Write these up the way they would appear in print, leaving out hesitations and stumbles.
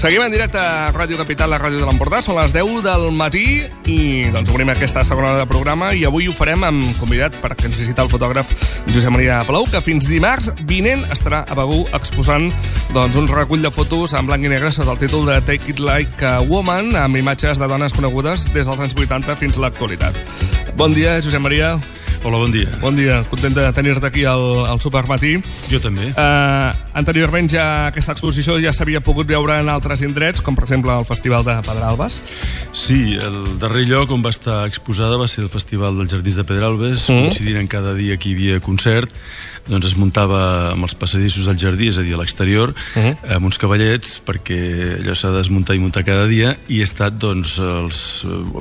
Seguim en directe a Ràdio Capital, la ràdio de l'Empordà. Són les 10 del matí i doncs obrim aquesta segona hora de programa i avui ho farem amb convidat perquè ens visita el fotògraf Josep Maria Palou, que fins dimarts vinent estarà a Begur exposant doncs, un recull de fotos en blanc i negre sota el títol de Take It Like a Woman, amb imatges de dones conegudes des dels anys 80 fins a l'actualitat. Bon dia, Josep Maria. Hola, bon dia. Bon dia, content de tenir-te aquí al Supermatí. Jo també. Anteriorment aquesta exposició ja s'havia pogut veure en altres indrets, com per exemple el Festival de Pedralbes. Sí, el darrer lloc on va estar exposada va ser el Festival dels Jardins de Pedralbes, coincidint en cada dia que hi havia concert. Doncs es muntava amb els passadissos al jardí, és a dir, a l'exterior, amb uns cavallets, perquè allò s'ha de desmuntar i muntar cada dia, i he estat, doncs, els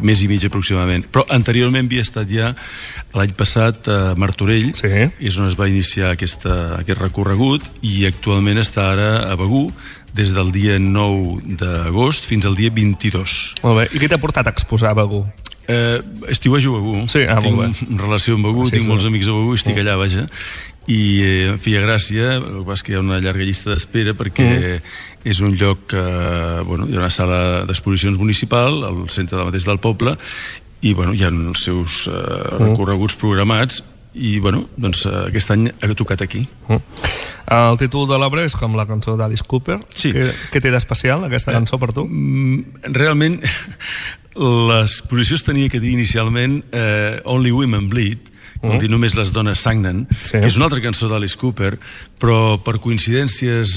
mes i mig aproximadament. Però anteriorment havia estat ja l'any passat a Martorell, és on es va iniciar aquest recorregut, i actualment està ara a Begur, des del dia 9 d'agost fins al dia 22. Molt bé. I què t'ha portat a exposar a Begur? Estiuejo a Begur. Sí, tinc relació amb Begur, tinc molts amics a Begur, estic allà, vaja. I em feia gràcia, el que passa que hi ha una llarga llista d'espera perquè és un lloc que, bueno, hi ha una sala d'exposicions municipal al centre mateix del poble i, bueno, hi ha els seus recorreguts programats i, bueno, doncs aquest any ha tocat aquí. El títol de l'obra és com la cançó d'Alice Cooper. Sí. Què té d'especial aquesta cançó per tu? Realment l'exposició es tenia que dir inicialment Only Women Bleed, vol dir només les dones sagnen, que és una altra cançó d'Alice Cooper, però per coincidències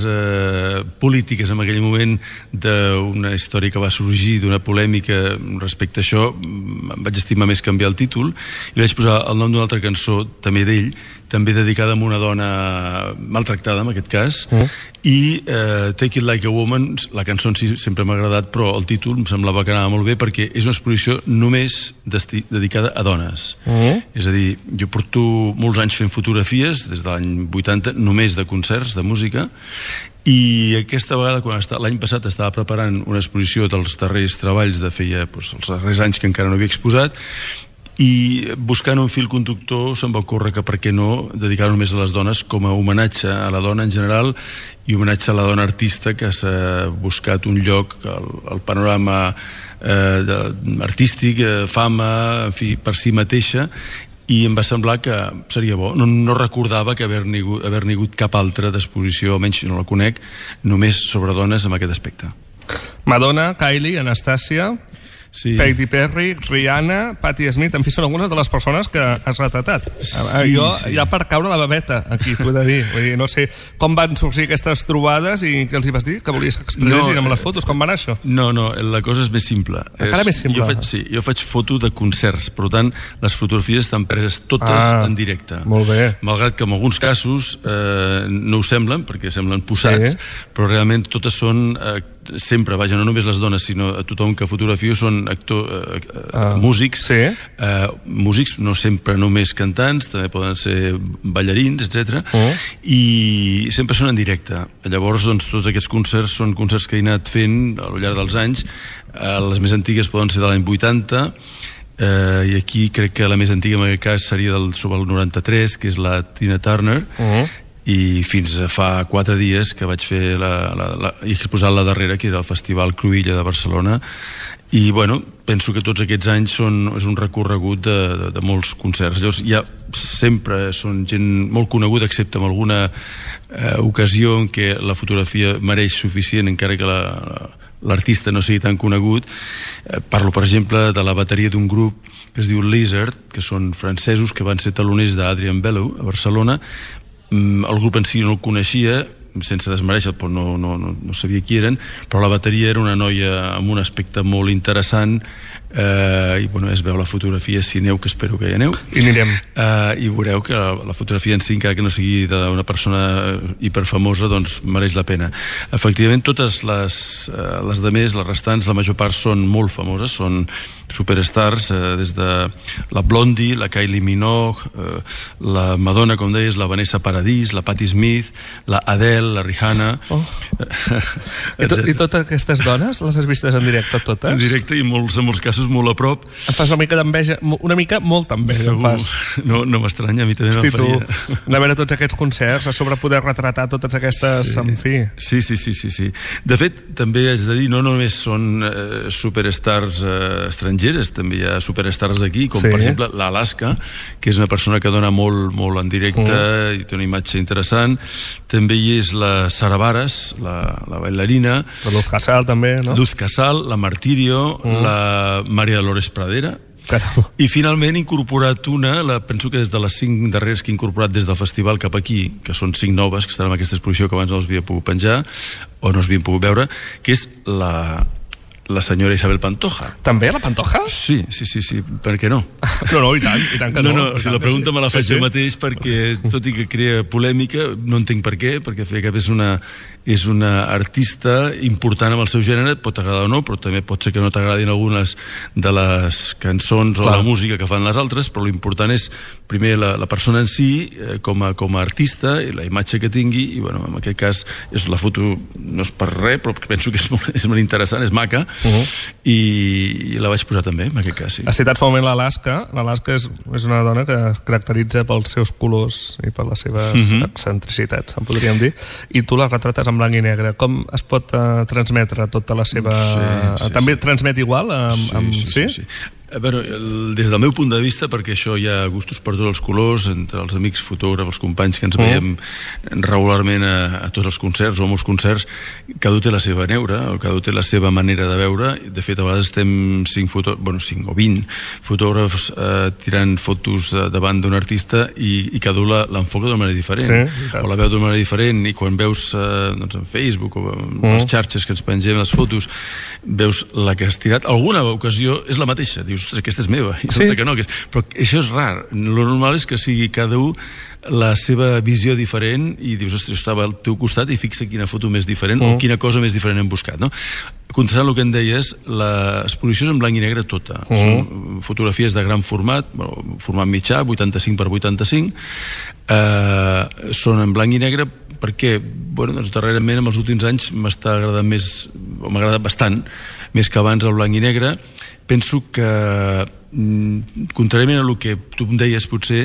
polítiques en aquell moment d'una història que va sorgir, d'una polèmica respecte a això, em vaig estimar més canviar el títol i vaig posar el nom d'una altra cançó, també d'ell, també dedicada a una dona maltractada, en aquest cas, i Take It Like a Woman, la cançó en si sempre m'ha agradat, però el títol em semblava que anava molt bé perquè és una exposició només dedicada a dones. És a dir, jo porto molts anys fent fotografies, des de l'any 80, només de concerts, de música, i aquesta vegada, l'any passat estava preparant una exposició dels darrers treballs de feia els darrers anys que encara no havia exposat, i buscant un fil conductor se'm va ocórrer que per què no dedicar-ho només a les dones com a homenatge a la dona en general i homenatge a la dona artista que s'ha buscat un lloc al panorama artístic, fama, en fi, per si mateixa, i em va semblar que seria bo. No recordava que haver-n'hi hagut cap altra d'exposició, almenys no la conec, només sobre dones amb aquest aspecte. Madonna, Kylie, Anastàcia, Katy Perry, Rihanna, Patti Smith, en fi, són algunes de les persones que has retratat. Jo, ja per caure la babeta aquí, t'ho he de dir. Vull dir, no sé com van sorgir aquestes trobades i què els hi vas dir? Que volies que expressessin amb les fotos? Com va anar això? No, la cosa és més simple. Encara més simple? Jo faig foto de concerts, per tant, les fotografies estan preses totes en directe. Molt bé. Malgrat que en alguns casos no ho semblen, perquè semblen posats, però realment totes són sempre, vaja, no només les dones, sinó a tothom que fotografio són músics, músics, no sempre només cantants, també poden ser ballarins, etc. I sempre són en directe. Llavors, doncs, tots aquests concerts són concerts que he anat fent al llarg dels anys. Les més antigues poden ser de l'any 80, i aquí crec que la més antiga en aquest cas seria sobre el 93, que és la Tina Turner, i fins a fa 4 dies que vaig fer he exposat la darrera, que era el Festival Cruïlla de Barcelona, i bueno, penso que tots aquests anys és un recorregut de molts concerts. Llavors ja sempre són gent molt coneguda, excepte en alguna ocasió en què la fotografia mereix suficient, encara que l'artista no sigui tan conegut. Parlo, per exemple, de la bateria d'un grup que es diu Lizard, que són francesos, que van ser taloners d'Adrian Bello a Barcelona. El grup en si no el coneixia, sense desmereixer, però no sabia qui eren, però la bateria era una noia amb un aspecte molt interessant, i bueno, es veu la fotografia, si aneu, que espero que hi aneu, i anirem, i veureu que la fotografia en si, encara que no sigui d'una persona hiperfamosa, doncs mereix la pena. Efectivament, totes les demés, les restants, la major part són molt famoses, són superstars, des de la Blondie, la Kylie Minogue, la Madonna, com deies, la Vanessa Paradis, la Patti Smith, la Adele, la Rihanna. I totes aquestes dones les has vistes en directe totes? En directe, i en molts casos passos molt a prop. Em fas una mica d'enveja, una mica molta enveja em fas. No m'estranya, a mi també Hosti, me'n faria. Tu, de veure tots aquests concerts, a sobre poder retratar totes aquestes, en fi. Sí. De fet, també haig de dir, no només són superstars estrangeres, també hi ha superstars aquí, com per exemple l'Alaska, que és una persona que dona molt en directe i té una imatge interessant. També hi és la Sara Varas, la bailarina. La Luz Casal també, no? Luz Casal, la Martirio, la Maria Dolores Pradera. Caram. I finalment he incorporat penso que des de les 5 darreres que he incorporat des del festival cap aquí, que són 5 noves, que estan en aquesta exposició que abans no els havia pogut penjar, o no els havien pogut veure, que és la senyora Isabel Pantoja. També, la Pantoja? Sí, per què no? No, i tant que no. No, la pregunta me la faig jo mateix perquè, tot i que crea polèmica, no entenc per què, perquè Feia Cap és una artista important amb el seu gènere, pot agradar o no, però també pot ser que no t'agradin algunes de les cançons o la música que fan les altres, però l'important és, primer, la persona en si, com a artista, i la imatge que tingui, i bueno, en aquest cas, la foto no és per res, però penso que és molt interessant, és maca, i la vaig posar també, en aquest cas, sí. Has citat fa un moment l'Alaska. L'Alaska és una dona que es caracteritza pels seus colors i per les seves excentricitats, en podríem dir, i tu la retrates en blanc i negre. Com es pot transmetre tota la seva... També transmet igual? Sí. Bueno, des del meu punt de vista, perquè això hi ha gustos per tots els colors, entre els amics fotògrafs, els companys que ens veiem regularment a tots els concerts o a molts concerts, cada un té la seva neura, o cada un té la seva manera de veure. De fet, a vegades estem 5 o 20 fotògrafs tirant fotos davant d'un artista i cada un l'enfoca d'una manera diferent, o la veu d'una manera diferent, i quan veus en Facebook o en les xarxes que ens pengem les fotos, veus la que has tirat, alguna ocasió és la mateixa, dius, ostres, aquesta és meva, i resulta que no, però això és rar. Lo normal és que sigui cada un la seva visió diferent i dius, ostres, estava al teu costat i fixa quina foto més diferent o quina cosa més diferent hem buscat, no? Contestant el que em deies, l'exposició és en blanc i negre tota. Són fotografies de gran format, format mitjà, 85 per 85, són en blanc i negre perquè, darrerament, en els últims anys m'està agradant més, o m'ha agradat bastant, més que abans el blanc i negre. Penso que, contràriament a el que tu em deies, potser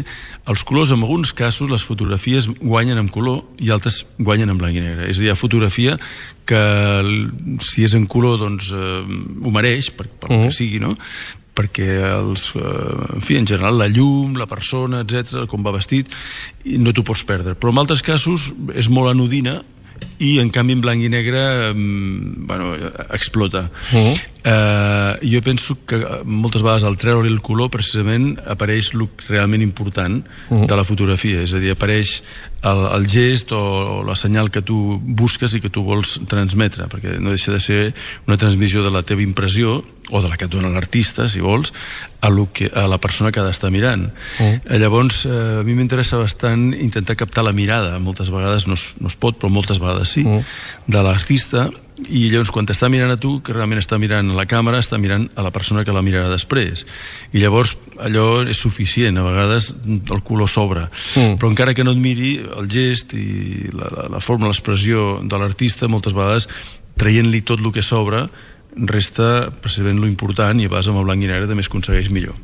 els colors, en alguns casos, les fotografies guanyen en color i altres guanyen en blanc i negre. És a dir, hi ha fotografia que, si és en color, doncs ho mereix, per el que sigui, no? Perquè en fi, en general, la llum, la persona, etc, com va vestit, no t'ho pots perdre. Però en altres casos és molt anodina i en canvi en blanc i negre explota. Jo penso que moltes vegades al treure el color precisament apareix el realment important de la fotografia, és a dir, apareix el gest o la senyal que tu busques i que tu vols transmetre, perquè no deixa de ser una transmissió de la teva impressió o de la que et dona l'artista, si vols, a la persona que ha d'estar mirant. Llavors, a mi m'interessa bastant intentar captar la mirada, moltes vegades no es pot, però moltes vegades sí, de l'artista, i llavors quan t'està mirant a tu, que realment està mirant a la càmera, està mirant a la persona que la mirarà després, i llavors allò és suficient, a vegades el color sobra, però encara que no et miri, el gest i la forma, l'expressió de l'artista, moltes vegades traient-li tot el que sobra resta precisament lo important, i a vegades amb el blanc i negre també es aconsegueix millor.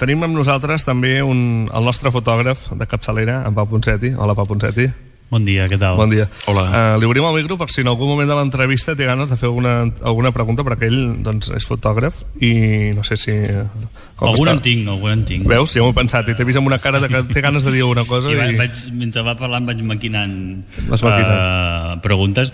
Tenim amb nosaltres també el nostre fotògraf de capçalera, en Pau Ponseti. Hola, Pau Ponseti. Bon dia, què tal? Bon dia. Hola. Li obrim el micro per si en algun moment de l'entrevista té ganes de fer alguna pregunta, perquè ell és fotògraf i no sé si... Alguna en tinc. Veus? Ja m'ho he pensat i t'he vist amb una cara que té ganes de dir alguna cosa. Mentre va parlant vaig maquinant preguntes.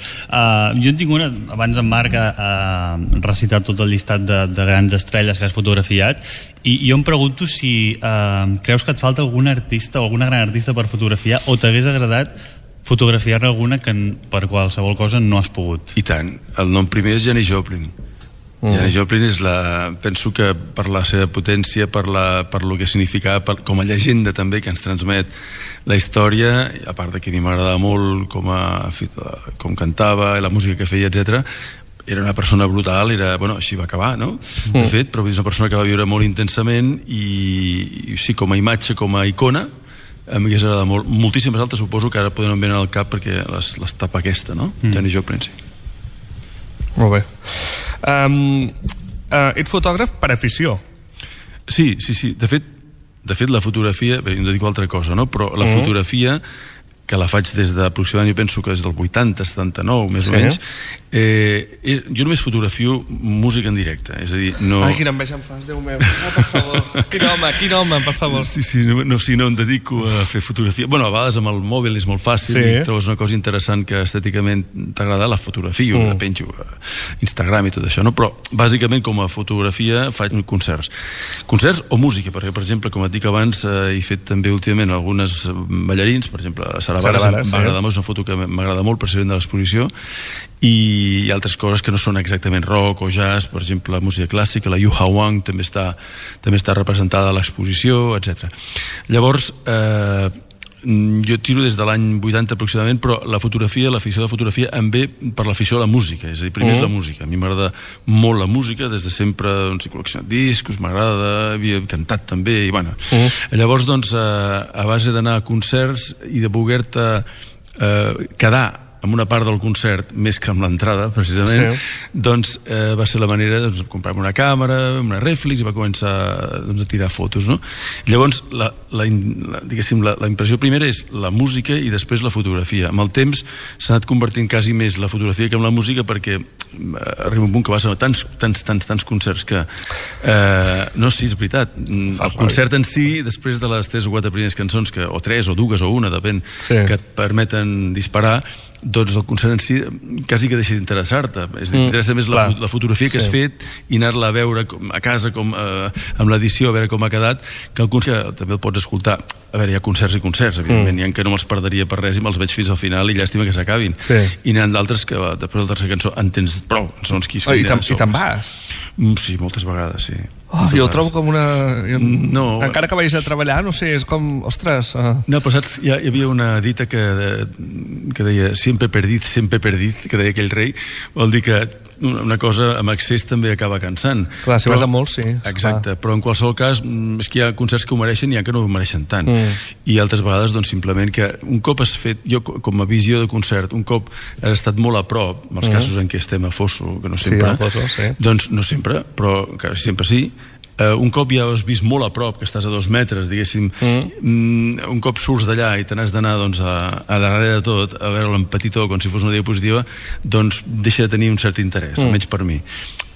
Jo en tinc una, abans en Marc ha recitat tot el llistat de grans estrelles que has fotografiat, i jo em pregunto si creus que et falta algun artista o alguna gran artista per fotografiar, o t'hagués agradat fotografiar-ne alguna que per qualsevol cosa no has pogut. I tant. El nom primer és Janis Joplin. Janis Joplin penso que per la seva potència, per lo que significava, com a llegenda també que ens transmet la història, a part de que a mi m'agradava molt com cantava, la música que feia, etc. Era una persona brutal, així va acabar, no? De fet, però és una persona que va viure molt intensament i sí, com a imatge, com a icona, a mi m'hagués agradat molt. Moltíssimes altres suposo que ara poden venir al cap perquè les tapa aquesta, no? Janis Joplin, sí. Molt bé. ets fotògraf per afició. Sí. De fet, la fotografia, bé, no dic altra cosa, no? Però la fotografia, que la faig des d'aproximadament, jo penso que és del 80, 79, més o menys, jo només fotografio música en directe, és a dir, no... Ai, quina enveja em fas, Déu meu, per favor. Quin home, per favor. Sí, no em dedico a fer fotografia. Bueno, a vegades amb el mòbil és molt fàcil, i trobes una cosa interessant que estèticament t'agrada, la fotografio, la penjo a Instagram i tot això, no? Però bàsicament com a fotografia faig concerts o música, perquè per exemple, com et dic abans, he fet també últimament algunes ballarins, per exemple, a Sara Varas, m'agrada molt, és una foto que m'agrada molt precisament de l'exposició, i altres coses que no són exactament rock o jazz, per exemple la música clàssica, la Yu Ha Wang també està representada a l'exposició, etc. Llavors jo tiro des de l'any 80 aproximadament, però l'afició de la fotografia em ve per l'afició a la música, és a dir, primer és la música. A mi m'agrada molt la música, des de sempre he col·leccionat discos, m'agrada, havia cantat també, i bueno. Llavors, doncs, a base d'anar a concerts i de voler-te quedar amb una part del concert més que amb l'entrada, precisament, doncs va ser la manera de comprar-me una càmera, una reflex, i va començar a tirar fotos, no? Llavors, diguéssim, la impressió primera és la música i després la fotografia. Amb el temps s'ha anat convertint quasi més la fotografia que amb la música, perquè arriba un punt que vas a tants concerts que... No, sí, és veritat. El concert en si, després de les 3 o 4 primeres cançons, o 3 o 2 o 1, depèn, que et permeten disparar, doncs el concert en si quasi que deixa d'interessar-te. T'interessa més la fotografia que has fet i anar-la a veure a casa amb l'edició, a veure com ha quedat, que el concert també el pots escoltar. A veure, hi ha concerts i concerts, evidentment, hi ha que no me'ls perderia per res i me'ls veig fins al final i llàstima que s'acabin. I n'hi ha d'altres que després de la tercera cançó en tens prou, segons qui I te'n vas? Sí, moltes vegades, sí. Jo ho trobo com una... Encara que vagis a treballar, no sé, és com... Ostres... No, però saps, hi havia una dita que deia siempre perdit, que deia aquell rei, vol dir que una cosa amb excés també acaba cansant. Clar, si vas a molts, sí. Exacte, però en qualsevol cas és que hi ha concerts que ho mereixen i hi ha que no ho mereixen tant. I altres vegades, doncs, simplement que un cop has fet, jo com a visió de concert, un cop has estat molt a prop, en els casos en què estem a Fosso, que no sempre, doncs no sempre, però sempre sí, un cop ja has vist molt a prop, que estàs a 2 metres, diguéssim, un cop surts d'allà i te n'has d'anar a darrere de tot, a veure-lo en petitó com si fos una diapositiva, doncs deixa de tenir un cert interès, almenys per mi.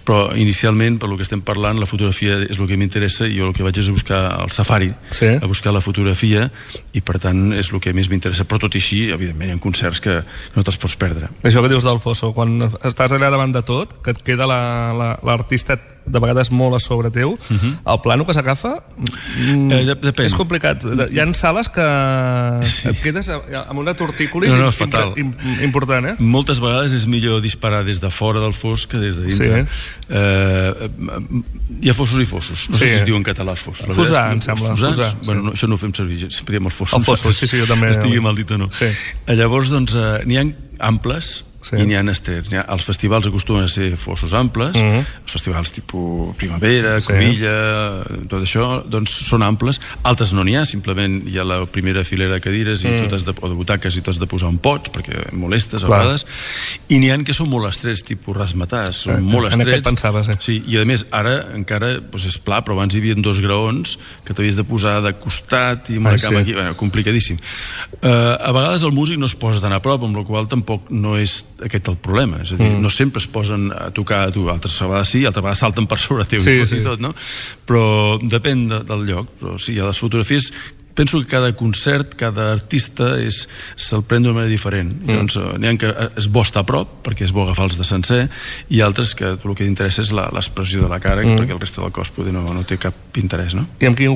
Però inicialment, per lo que estem parlant, la fotografia és el que m'interessa i jo el que vaig és a buscar el safari, a buscar la fotografia, i per tant és el que més m'interessa. Però tot i així, evidentment, hi ha concerts que no te'ls pots perdre. Això que dius del Fosso, quan estàs allà davant de tot, que et queda l'artista de vegades molt a sobre teu, el plano que s'agafa és complicat. Hi ha sales que et quedes amb una tortícolis important, eh? Moltes vegades és millor disparar des de fora del fos que des de dintre. Hi ha fossos i fossos, no sé si es diu en català fos. Fosar, em sembla. Bueno, això no ho fem servir, sempre diem els fossos. El fossos, sí, jo també. Estigui mal dit o no. Llavors, doncs, n'hi ha amples i n'hi ha estrets. Els festivals acostumen a ser fossos amples, els festivals tipus Primavera, Covilla, tot això, doncs són amples. Altres no n'hi ha, simplement hi ha la primera filera de cadires o de butaques i tu has de posar un pots perquè molestes a vegades, i n'hi ha que són molt estrets, tipus rasmatars, són molt estrets. En aquest pensaves, sí, i a més ara encara és pla, però abans hi havia 2 graons que t'havies de posar de costat i amb una cama aquí, complicadíssim. A vegades el músic no es posa tan a prop, amb la qual tampoc no és aquest el problema, és a dir, no sempre es posen a tocar a tu, altres vegades sí, altres vegades salten per sobre teu i tot, no? Però depèn del lloc, però sí, a les fotografies penso que cada concert, cada artista se'l pren d'una manera diferent. Llavors, n'hi ha que és bo estar a prop, perquè és bo agafar-los de sencer, i altres que el que interessa és l'expressió de la cara, perquè el reste del cos no té cap interès, no? I amb quins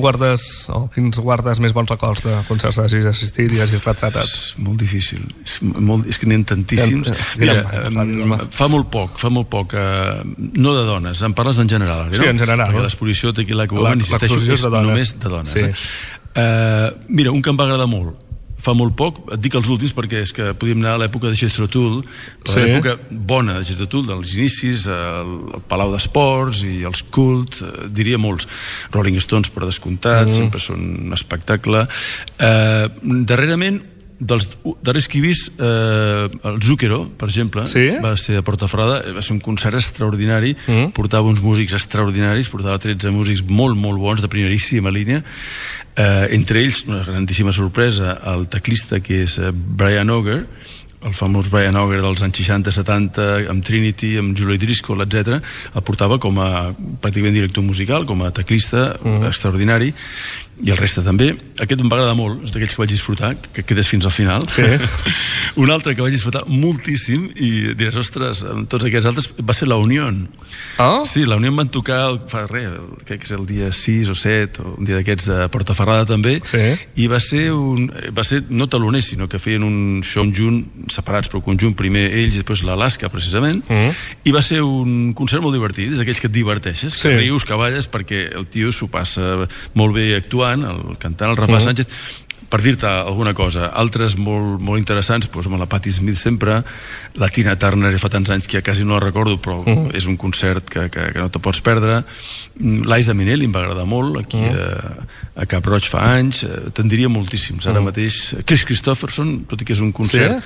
guardes més bons records de concerts hagis assistit i hagis retratat? És molt difícil, és que n'hi ha tantíssims. Mira, fa molt poc, no de dones, em parles en general, no? Sí, en general. Perquè l'exposició Tequila Woman, insisteixo, és només de dones. Mira, un que em va agradar molt fa molt poc, et dic els últims perquè és que podíem anar a l'època de Jethro Tull, l'època bona de Jethro Tull, dels inicis, el Palau d'Esports i els Cult, diria molts. Rolling Stones, per descomptat, sempre són un espectacle. Darrerament dels darrers que he vist, el Zucchero, per exemple, va ser a Portafrada, va ser un concert extraordinari, portava uns músics extraordinaris, portava 13 músics molt, molt bons, de primeríssima línia, entre ells, una grandíssima sorpresa, el teclista que és Brian Auger, el famós Brian Auger dels anys 60-70, amb Trinity, amb Julie Driscoll, etc. El portava com a pràcticament director musical, com a teclista extraordinari, i el reste també. Aquest em va agradar molt, és d'aquells que vaig disfrutar, que quedes fins al final. Sí. Un altre que vaig disfrutar moltíssim, i diràs, ostres, amb tots aquests altres, va ser la Unión. Oh? Sí, la Unión van tocar, fa res, crec que és el dia 6 o 7, o un dia d'aquests a Portaferrada també, i va ser no taloner, sinó que feien un show conjunt, separats però conjunt, primer ells i després l'Alaska, precisament, i va ser un concert molt divertit, és aquells que et diverteixes, que rius, que balles, perquè el tio s'ho passa molt bé actuant, el cantant, el Rafa Sánchez, per dir-te alguna cosa. Altres molt, molt interessants, doncs amb la Patti Smith sempre, la Tina Turner fa tants anys que ja quasi no la recordo, però és un concert que no te pots perdre. Liza Minnelli em va agradar molt, aquí a Cap Roig fa anys, te'n diria moltíssims. Ara mateix, Chris Christopherson, tot i que és un concert...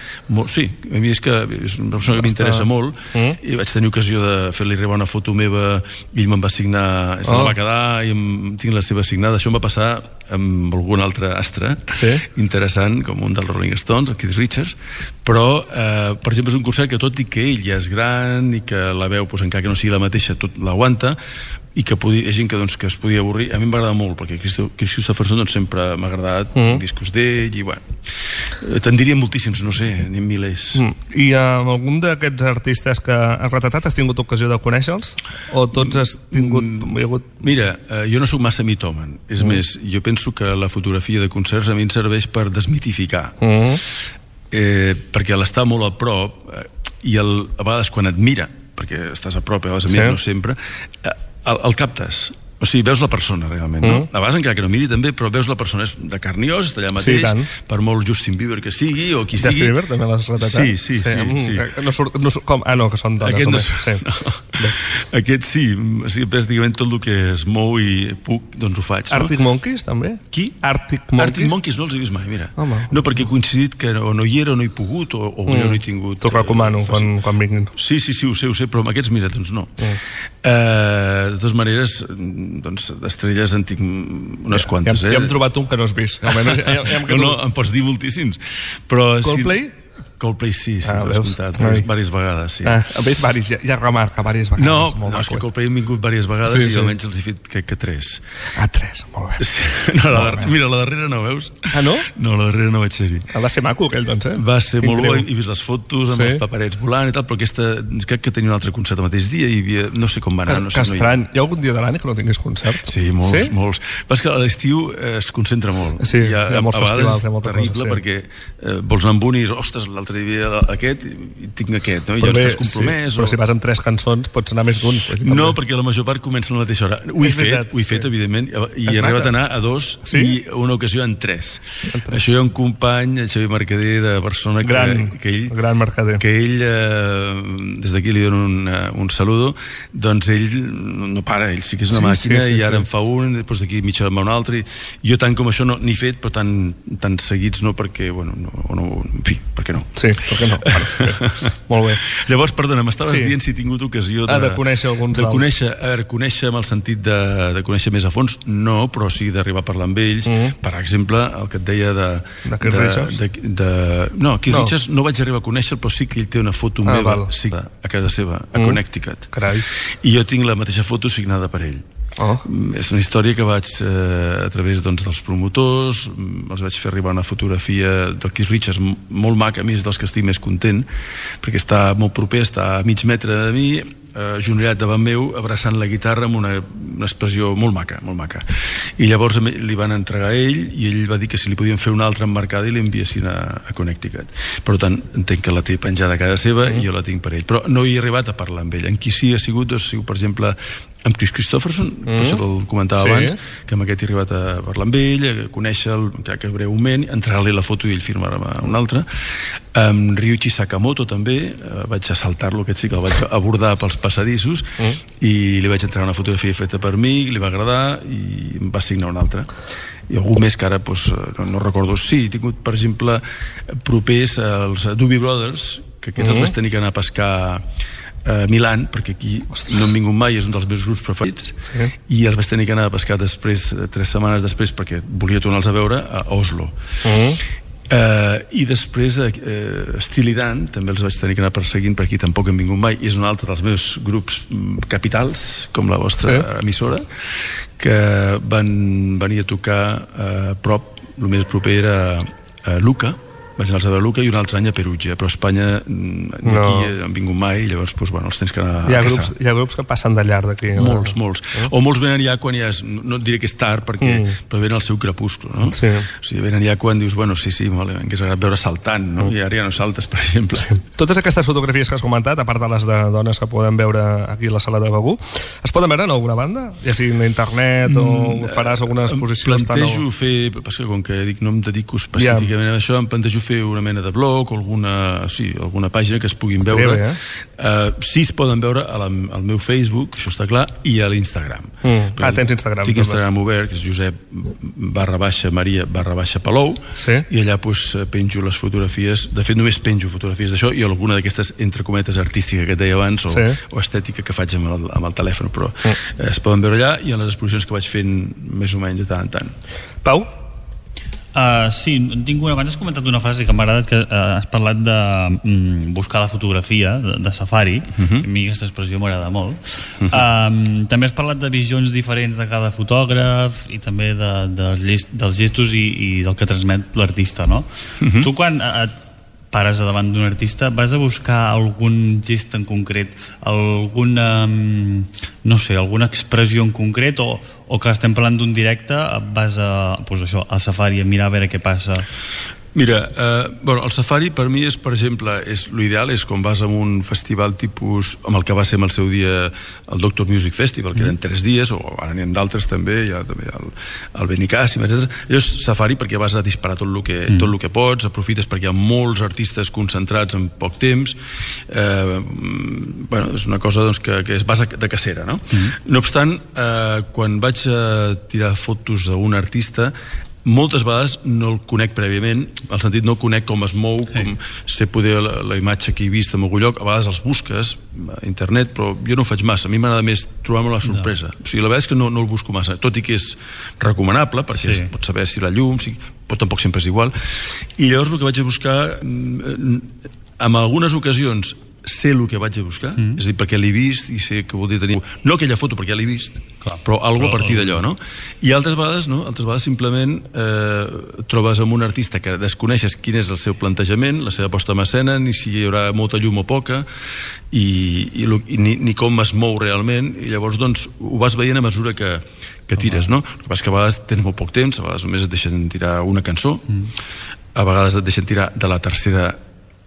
Sí, a mi és una persona que m'interessa molt, i vaig tenir ocasió de fer-li arribar una foto meva, i ell me'n va signar, se la va quedar, i tinc la seva signada. Això em va passar amb algun altre astre, interessant, com un dels Rolling Stones, el Keith Richards, però, per exemple, és un concert que tot i que ell ja és gran i que la veu, encara que no sigui la mateixa, tot l'aguanta, i que hi ha gent que es podia avorrir. A mi em va agradar molt, perquè Chris Christopherson sempre m'ha agradat, tinc discos d'ell, i bueno, te'n diria moltíssims, no sé, ni milers. I amb algun d'aquests artistes que has retratat has tingut ocasió de conèixer-los? O tots has tingut... Mira, jo no sóc massa mitòman, és més, jo penso que la fotografia de concerts a mi em serveix per desmitificar, perquè l'estar molt a prop, i a vegades quan et mira, perquè estàs a prop, a vegades a mi no sempre, el captes, o sigui, veus la persona realment, no? A vegades encara que no miri també, però veus la persona, és de carn i os, està allà mateix, per molt Justin Bieber que sigui, o qui sigui. Justin Bieber també l'has retratat? Sí. No surt, com? Ah, no, que són dones. Aquest sí, pràcticament tot el que es mou i puc, doncs ho faig. Arctic Monkeys, també? Qui? Arctic Monkeys? Arctic Monkeys no els he vist mai, mira. No, perquè he coincidit que o no hi era o no he pogut, o jo no he tingut... T'ho recomano quan vinguin. Sí, ho sé, però amb aquests, mira, doncs no. De totes maneres, doncs d'estrelles en tinc unes quantes. Ja hem trobat un que no has vist. No, em pots dir moltíssims. Coldplay? Coldplay sí, l'he escoltat diverses vegades, sí. A més, ja remarca diverses vegades. No, és que Coldplay han vingut diverses vegades i almenys els he fet, crec que 3. Ah, 3, molt bé. Mira, la darrera no veus? Ah, no? No, la darrera no vaig ser-hi. Va ser maco aquell, doncs, Va ser molt bo, he vist les fotos amb els paperets volant i tal, però aquesta, crec que tenia un altre concert el mateix dia i no sé com va anar. Que estrany. Hi ha algun dia de l'any que no tinguis concert? Sí, molts. Però és que a l'estiu es concentra molt. Sí, hi ha molts festivals, hi ha molta cosa. És terrible perquè vols anar amb un i, ostres, l'altre dia aquest i tinc aquest, no? I llavors estàs compromès. Però si vas amb 3 cançons pots anar més d'un. No, perquè la major part comença a la mateixa hora. Ho he fet, evidentment, i he arribat a anar a 2 i una ocasió en 3. Això hi ha un company, el Xavier Mercader, de Barcelona, gran Mercader, que ell, des d'aquí li dono un saludo, doncs ell no para, ell sí que és una màquina i ara en fa un, després d'aquí mitja hora en va un altre. Jo tant com això no n'he fet, però tan seguits no, perquè, bueno, en fi, per què no? Sí, per què no? Molt bé. Llavors, perdona, m'estaves dient si he tingut ocasió de conèixer alguns de conèixer amb el sentit de conèixer més a fons, no, però sí d'arribar a parlar amb ells. Per exemple, el que et deia de Keith Richards? No, Keith Richards no vaig arribar a conèixer, però sí que ell té una foto meva a casa seva, a Connecticut. I jo tinc la mateixa foto signada per ell. És una història que vaig a través dels promotors, els vaig fer arribar una fotografia del Keith Richards molt maca, a mi és dels que estic més content perquè està molt proper, està a mig metre de mi, agenollat davant meu, abraçant la guitarra amb una expressió molt maca, molt maca. I llavors li van entregar a ell i ell va dir que si li podien fer una altra emmarcada i l'enviessin a Connecticut. Per tant, entenc que la té penjada a casa seva i jo la tinc per ell, però no hi he arribat a parlar amb ell. En qui sí ha sigut, per exemple, amb Chris Christopherson, per això el comentava abans, que amb aquest he arribat a parlar amb ell, a conèixer-lo, que breument, entregar-li la foto i ell firmar-me una altra. Amb Ryuichi Sakamoto també, vaig assaltar-lo, aquest sí que el vaig abordar pels passadissos i li vaig entregar una fotografia feta per mi, li va agradar i em va signar una altra. i algú més que ara no recordo. Sí, he tingut, per exemple, propers els Doobie Brothers, que aquests els vaig tenir que anar a pescar a Milan, perquè aquí no hem vingut mai, és un dels meus grups preferits, i els vaig tenir que anar a pescar després, 3 setmanes després, perquè volia tornar-los a veure a Oslo. I després Steely Dan també els vaig tenir que anar perseguint, per aquí tampoc hem vingut mai, i és un altre dels meus grups capitals, com la vostra emissora, que van venir a tocar a prop, el més proper era a Lucca, vaig anar a Lucca, i un altre any a Perugia, però a Espanya d'aquí han vingut mai, i llavors els tens que anar a caçar. Hi ha grups que passen de llarg d'aquí. Molts. O molts venen ja quan ja és, no et diré que és tard, però venen al seu crepuscle, no? Sí. O sigui, venen ja quan dius, bueno, sí, m'hagués agradat veure saltant, no? I ara ja no saltes, per exemple. Totes aquestes fotografies que has comentat, a part de les de dones que podem veure aquí a la sala de Begur, es poden veure en alguna banda? Ja sigui en internet o faràs alguna exposició? Plantejo fer, perquè com que no em dedico específicament a això, em plantejo fer una mena de blog o alguna pàgina que es puguin veure. Sí, es poden veure al meu Facebook, això està clar, i a l'Instagram. Tens Instagram. Tinc Instagram obert, que és Josep_Maria_Palou, i allà penjo les fotografies. De fet, només penjo fotografies d'això i alguna d'aquestes, entre cometes, artística que et deia abans, o estètica que faig amb el telèfon, però es poden veure allà i en les exposicions que vaig fent més o menys de tant en tant. Pau? Sí, tinc una. Abans has comentat una frase que m'ha agradat, que has parlat de buscar la fotografia de safari. A mi aquesta expressió m'agrada molt. També has parlat de visions diferents de cada fotògraf i també dels gestos i del que transmet l'artista, no? Tu quan pares davant d'un artista, vas a buscar algun gest en concret, alguna expressió en concret, o que estem parlant d'un directe, vas al safari a mirar a veure què passa? Mira, el safari per mi és, per exemple, l'ideal és quan vas a un festival tipus, amb el que va ser en el seu dia el Doctor Music Festival, que eren 3 dies, o ara n'hi ha d'altres també, hi ha també el Benicàssim, etc. Allò és safari perquè vas a disparar tot el que pots, aprofites perquè hi ha molts artistes concentrats en poc temps. És una cosa que es basa de cacera, no? No obstant, quan vaig a tirar fotos d'un artista, moltes vegades no el conec prèviament, al sentit no conec com es mou, com sé poder la imatge que he vist en algun lloc. A vegades els busques a internet, però jo no ho faig massa. A mi m'agrada més trobar-me la sorpresa. O sigui, la veritat és que no el busco massa, tot i que és recomanable, perquè pots saber si la llum, però tampoc sempre és igual. I llavors el que vaig a buscar, en algunes ocasions sé el que vaig a buscar, és a dir, perquè l'he vist i sé que vol dir tenir, no aquella foto perquè ja l'he vist, però alguna a partir d'allò, no? I altres vegades no, altres vegades simplement trobes amb un artista que desconeixes quin és el seu plantejament, la seva posta en escena, ni si hi haurà molta llum o poca, ni com es mou realment, i llavors doncs ho vas veient a mesura que tires, no? El que passa és que a vegades tens molt poc temps, a vegades només et deixen tirar una cançó, a vegades et deixen tirar de la tercera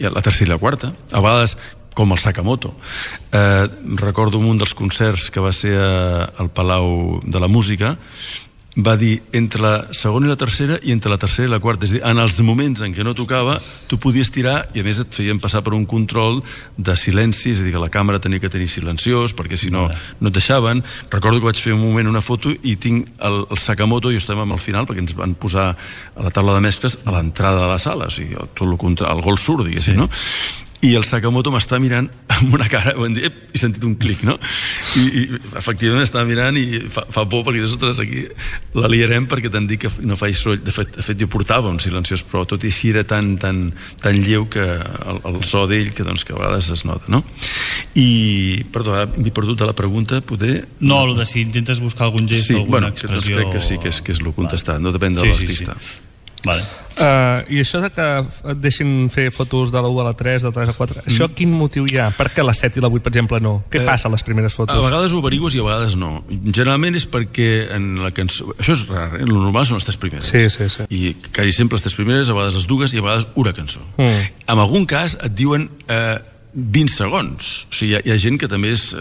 i la quarta, a vegades com el Sakamoto. Recordo un dels concerts que va ser al Palau de la Música, va dir entre la segona i la tercera i entre la tercera i la quarta, és a dir, en els moments en què no tocava tu podies tirar, i a més et feien passar per un control de silenci, és a dir, que la càmera tenia que tenir silenciós perquè si no et deixaven. Recordo que vaig fer un moment una foto i tinc el Sakamoto, i estàvem al final perquè ens van posar a la taula de mescles a l'entrada de la sala, o sigui, tot el gol surt, diguéssim, no? I el Sakamoto m'està mirant amb una cara, he sentit un clic, no? I efectivament estava mirant i fa por perquè ostres, aquí la liarem perquè t'han dit que no faig soroll. De fet jo portava un silenciós, però tot i així era tan lleu que el so d'ell que a vegades es nota, no? I, perdó, ara m'he perdut de la pregunta, poder... No, el de si intentes buscar algun gest o alguna expressió... Crec que sí, que és el contestat, no depèn de l'artista. Vale. I això de que et deixin fer fotos de la 1 a la 3, de la 3 a la 4, això quin motiu hi ha? Per què la 7 i la 8, per exemple, no? Què passa a les primeres fotos? A vegades ho averigues i a vegades no. Generalment és perquè en la cançó... Això és rar, el normal són les 3 primeres. Sí. I quasi sempre les 3 primeres, a vegades les dues i a vegades una cançó. En algun cas et diuen 20 segons. O sigui, hi ha gent que també és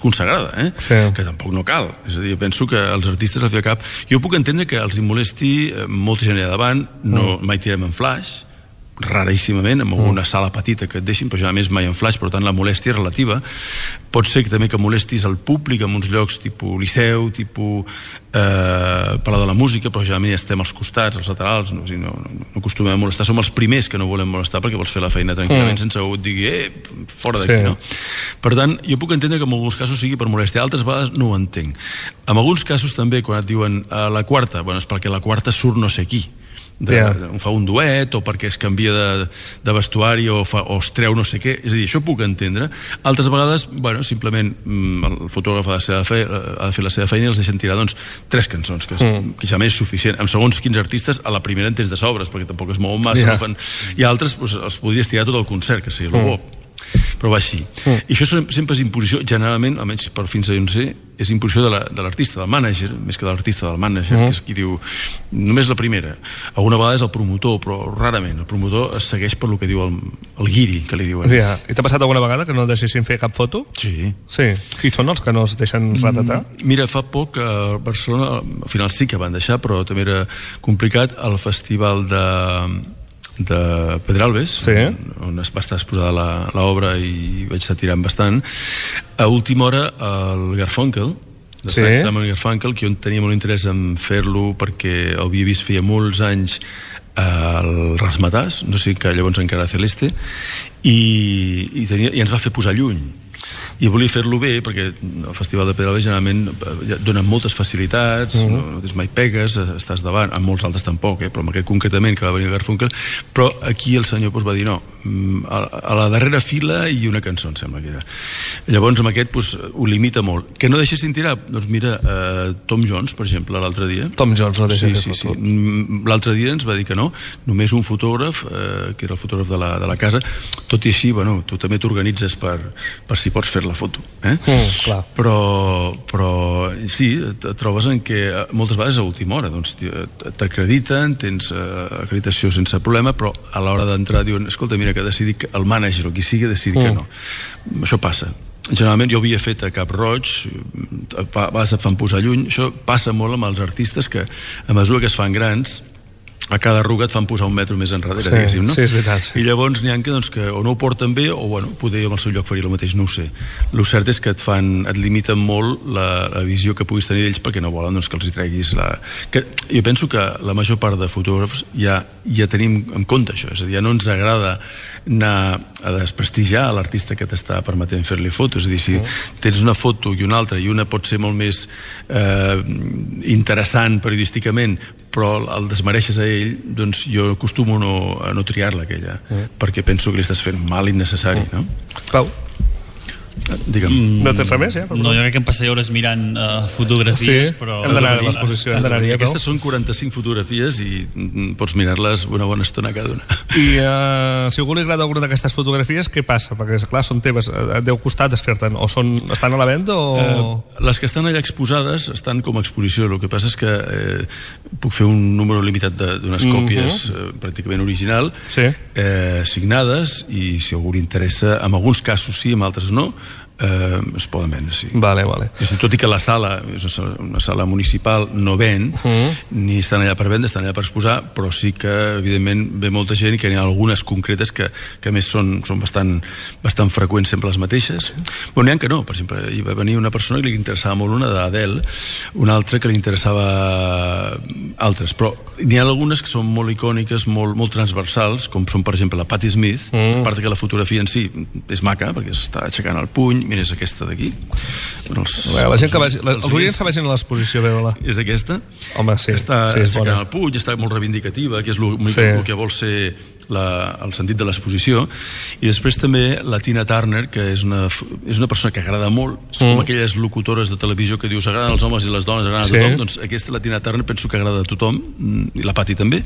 consagrada, que tampoc no cal. És a dir, penso que els artistes al fi al cap... Jo puc entendre que els molesti molta gent allà davant, mai tirem en flash, raríssimament, amb una sala petita que et deixin, però generalment mai en flash, per tant la molèstia és relativa. Pot ser també que molestis el públic en uns llocs tipus Liceu, tipus Palau de la Música, però generalment ja estem als costats, als laterals, no acostumem a molestar, som els primers que no volem molestar perquè vols fer la feina tranquil·lament sense que algú et digui fora d'aquí, no? Per tant, jo puc entendre que en alguns casos sigui per molèstia, altres vegades no ho entenc. En alguns casos també, quan et diuen la quarta, és perquè la quarta surt no sé qui, fa un duet o perquè es canvia de vestuari o es treu no sé què, és a dir, això puc entendre. Altres vegades, simplement el fotògraf ha de fer la seva feina i els deixen tirar 3 cançons, que ja més és suficient. Amb segons quins artistes, a la primera en tens de sobres, perquè tampoc es mouen massa, i altres els podries tirar tot el concert, que sigui el bo, però va així. I això sempre és imposició, generalment, almenys per fins a on sé, és imposició de l'artista, del mànager, més que de l'artista, del mànager, que és qui diu, només la primera. Alguna vegada és el promotor, però rarament. El promotor es segueix per lo que diu el guiri, que li diuen. I t'ha passat alguna vegada que no deixessin fer cap foto? Sí. Qui són els que no es deixen retratar? Mira, fa poc a Barcelona, al final sí que van deixar, però també era complicat, el festival de Pedralbes, on va estar exposada l'obra i vaig estar tirant bastant. A última hora el Garfunkel, Simon Garfunkel, que jo tenia molt interès en fer-lo perquè el havia vist feia molts anys al Razzmatazz, no sé, que llavors encara Celeste, i ens va fer posar lluny. I volia fer-lo bé perquè el Festival de Pedralbes generalment dona moltes facilitats, no tens mai pegues, estàs davant, amb molts altres tampoc, però amb aquest concretament que va venir Garfunkel, però aquí el senyor va dir no, a la darrera fila i una cançó, em sembla que era. Llavors amb aquest ho limita molt. Que no deixessin tirar? Doncs mira, Tom Jones, per exemple, l'altre dia. Tom Jones no deixa fer foto. L'altre dia ens va dir que no, només un fotògraf, que era el fotògraf de la casa, tot i així, tu també t'organitzes per si pots fer la foto, però sí, et trobes en què moltes vegades a última hora t'acrediten, tens acreditació sense problema, però a l'hora d'entrar diuen, escolta, mira, que ha decidit el mànager o qui sigui ha decidit que no. Això passa. Generalment jo havia fet a Cap Roig, a vegades et fan posar lluny. Això passa molt amb els artistes que a mesura que es fan grans a cada arruga et fan posar un metro més enrere, diguéssim, no? Sí, és veritat. I llavors n'hi ha que o no ho porten bé o, poder amb el seu lloc faria el mateix, no ho sé. El cert és que et limiten molt la visió que puguis tenir d'ells perquè no volen que els hi treguis Jo penso que la major part de fotògrafs ja tenim en compte això, és a dir, ja no ens agrada anar a desprestigiar l'artista que t'està permetent fer-li fotos, és a dir, si tens una foto i una altra i una pot ser molt més interessant periodísticament però el desmereixes a ell, doncs jo acostumo a no triar-la aquella, perquè penso que li estàs fent mal innecessari, no? Pau? Digue'm. No tens res més, ja? No, jo crec que em passaré hores mirant fotografies, però... Hem d'anar a l'exposició. Aquestes són 45 fotografies i pots mirar-les una bona estona cada una. I si algú li agrada alguna d'aquestes fotografies, què passa? Perquè, clar, són teves, et deu costar desfer-te'n, o estan a la venda o...? Les que estan allà exposades estan com a exposició, el que passa és que puc fer un número limitat d'unes còpies pràcticament original, signades, i si algú li interessa, en alguns casos sí, en altres no, es poden vendre, sí. Vale. Tot i que la sala és una sala municipal, no ven, ni estan allà per vendre, estan allà per exposar, però sí que, evidentment, ve molta gent i que n'hi ha algunes concretes que a més són bastant freqüents, sempre les mateixes. Però n'hi ha que no. Per exemple, hi va venir una persona que li interessava molt una d'Adele, una altra que li interessava altres, però n'hi ha algunes que són molt icòniques, molt transversals, com són, per exemple, la Patti Smith, a part que la fotografia en si és maca, perquè està aixecant el puny. Mira, és aquesta d'aquí. La gent que vagi, els oients que vagin a l'exposició a veure-la. És aquesta? Home, sí. Està aixecant el puny, està molt reivindicativa, que és el que vol ser el sentit de l'exposició. I després també la Tina Turner, que és una persona que agrada molt, com aquelles locutores de televisió que dius agraden els homes i les dones agraden a tothom, doncs aquesta, la Tina Turner, penso que agrada a tothom, i la Patti també,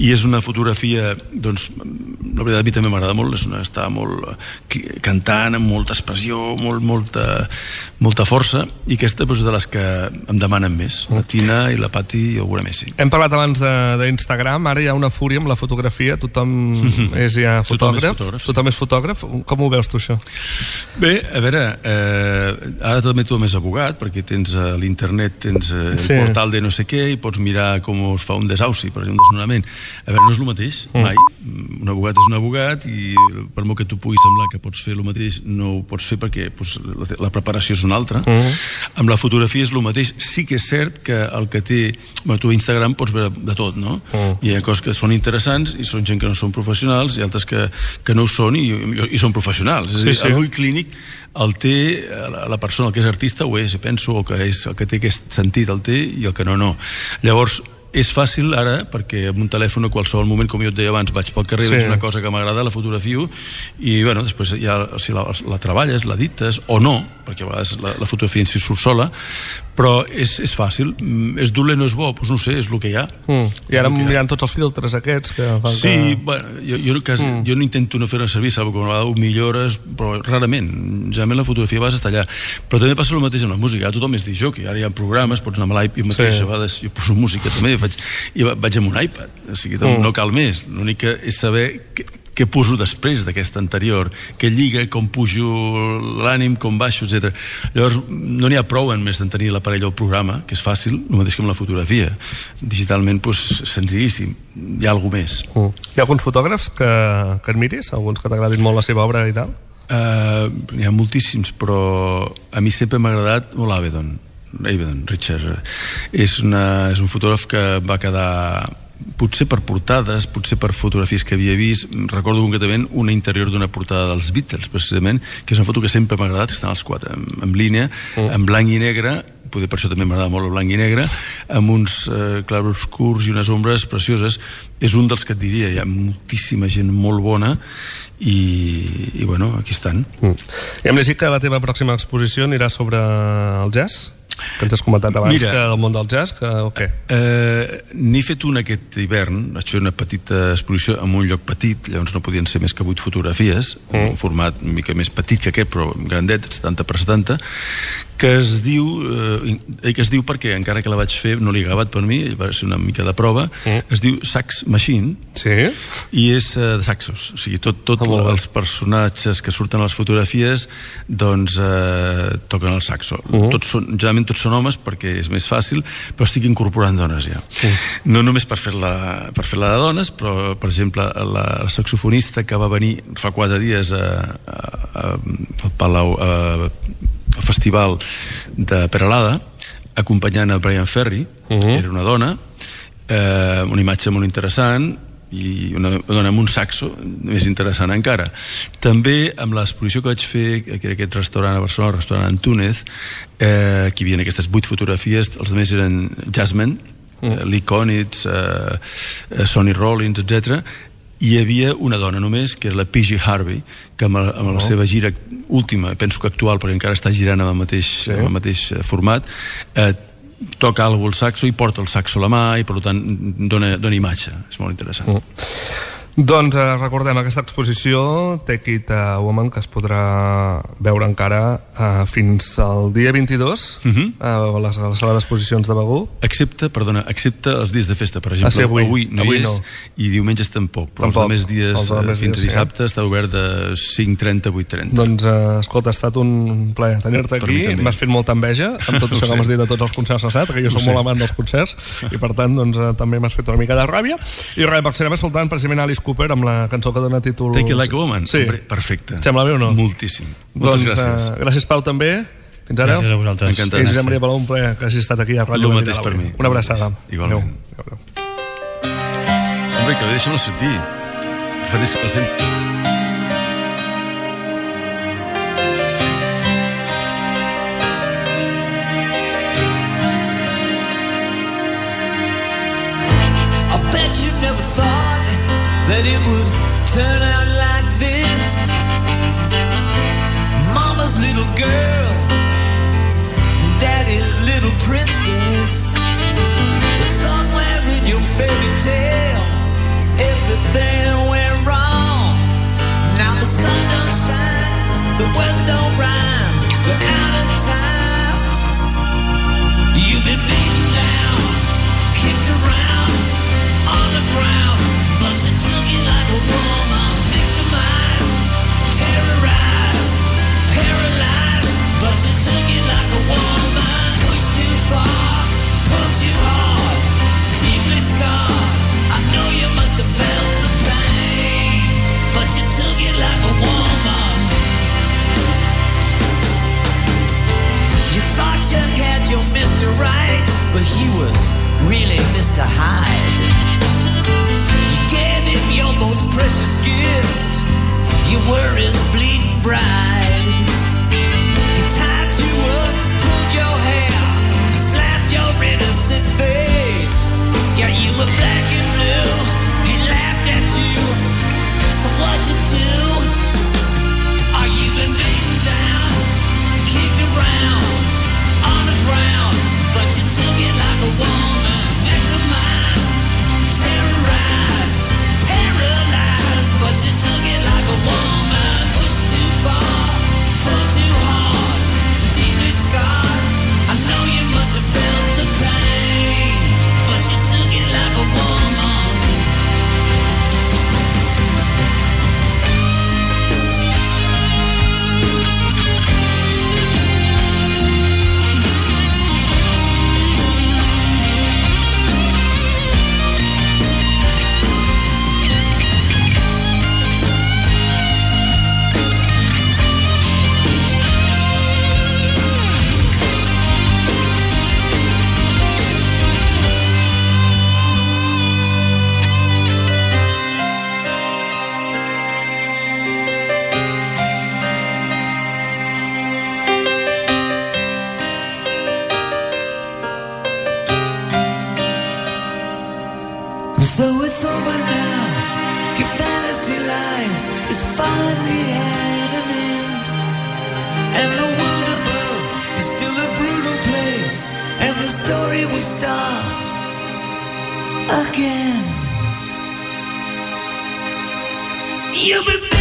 i és una fotografia, doncs la veritat a mi també m'agrada molt, està molt cantant, amb molta expressió, molta força, i aquesta és de les que em demanen més, la Tina i la Patti i alguna més, sí. Hem parlat abans d'Instagram, ara hi ha una fúria amb la fotografia, tothom és ja fotògraf. Tothom és fotògraf. Com ho veus tu, això? Bé, a veure, ara també tu més abogat, perquè tens a l'internet, tens el portal de no sé què, i pots mirar com es fa un desauci, per exemple, un desnonament. A veure, no és el mateix, mai. Un abogat és un abogat, i per molt que tu puguis semblar que pots fer el mateix, no ho pots fer perquè la preparació és una altra. Amb la fotografia és el mateix. Sí que és cert que el que té... Tu a Instagram pots veure de tot, no? Hi ha coses que són interessants i són gent que no són professionals, i altres que no ho són i són professionals. És a dir, l'ull clínic el té la persona, el que és artista ho és, penso, o que és el que té aquest sentit el té, i el que no. Llavors, és fàcil ara, perquè amb un telèfon a qualsevol moment, com jo et deia abans, vaig pel carrer, veig una cosa que m'agrada, la fotografio, i bueno, després ja, si la treballes, l'edites o no, perquè a vegades la fotografia en si surt sola, però és fàcil. És dolent o és bo? Doncs no sé, és el que hi ha. I ara mirant tots els filtres aquests que fan que... Sí, bueno, jo no intento no fer-ne servir, saps, que a vegades ho millores, però rarament. Generalment la fotografia vas estar allà. Però també passa el mateix amb la música. Ara tothom és disjockey, ara hi ha programes, pots anar amb l'iPad mateix, a vegades jo poso música també, i vaig amb un iPad, o sigui, no cal més. L'únic que és saber què poso després d'aquesta anterior, què lliga, com pujo l'ànim, com baixo, etc. Llavors, no n'hi ha prou en més d'en tenir l'aparell o el programa, que és fàcil, el mateix que amb la fotografia. Digitalment, senzillíssim. Hi ha alguna més. Hi ha alguns fotògrafs que admiris? Alguns que t'agradin molt la seva obra i tal? N'hi ha moltíssims, però a mi sempre m'ha agradat molt Avedon, Richard. És un fotògraf que va quedar... potser per portades, potser per fotografies que havia vist. Recordo concretament una interior d'una portada dels Beatles, precisament, que és una foto que sempre m'ha agradat, que estan els quatre en línia, en blanc i negre, poder per això també m'agrada molt el blanc i negre, amb uns clarobscurs i unes ombres precioses. És un dels que et diria, hi ha moltíssima gent molt bona, i bueno, aquí estan. I hem llegit que la teva pròxima exposició anirà sobre el jazz, que ens has comentat abans. Mira, que del món del jazz, o què? N'he fet una aquest hivern, vaig fer una petita exposició en un lloc petit, llavors no podien ser més que 8 fotografies, en un format una mica més petit que aquest, però grandet, 70 per 70, que es diu perquè encara que la vaig fer no l'he gravat per mi, va ser una mica de prova, es diu Sax Machine, i és de saxos, o sigui, tots els personatges que surten a les fotografies doncs toquen el saxo. Generalment tots són homes perquè és més fàcil, però estic incorporant dones ja. No només per fer-la de dones, però per exemple la saxofonista que va venir fa 4 dies al Palau, al festival de Peralada, acompanyant a Brian Ferry, era una dona, una imatge molt interessant, i una dona amb un saxo més interessant encara. També amb l'exposició que vaig fer a aquest restaurant a Barcelona, el restaurant Antúnez, que hi havia aquestes 8 fotografies, els altres eren jazzmen, Lee Konitz, Sonny Rollins, etc. I hi havia una dona només, que és la PG Harvey, que amb la seva gira última, penso que actual, perquè encara està girant amb el mateix format, toca el saxo i porta el saxo a la mà, i per tant dona imatge. És molt interessant. Doncs recordem aquesta exposició Take It a Woman, que es podrà veure encara fins al dia 22 a la sala d'exposicions de Begur, excepte els dies de festa, per exemple. Avui no hi és, i diumenges tampoc, però els altres dies fins a dissabte està obert de 5:30 a 8:30. Doncs escolta, ha estat un plaer tenir-te aquí, m'has fet molta enveja amb tot això que m'has dit de tots els concerts que has anat, perquè jo soc molt amant dels concerts, i per tant també m'has fet una mica de ràbia. I res, estarem escoltant precisament Alice Cooper amb la cançó que dona títol Take It Like a Woman. Sí. Perfecte. Sembla bé o no? Moltíssim. Moltes gràcies. Gràcies, Pau, també. Fins ara. Gràcies a vosaltres. Encantat. I Josep Maria Palau, un plaer que hagis estat aquí a Ràdio. El mateix per mi. Una abraçada. Igualment. Hombre, que deixa'm-la sentir. Que fa que la sent. That it would turn out like this. Mama's little girl, Daddy's little princess. But somewhere in your fairy tale, everything went wrong. Now the sun don't shine, the words don't rhyme, they're out of time. You've been beaten down, kicked around on the ground, but you took it like a So it's over now. Your fantasy life is finally at an end. And the world above is still a brutal place. And the story will start again. You've been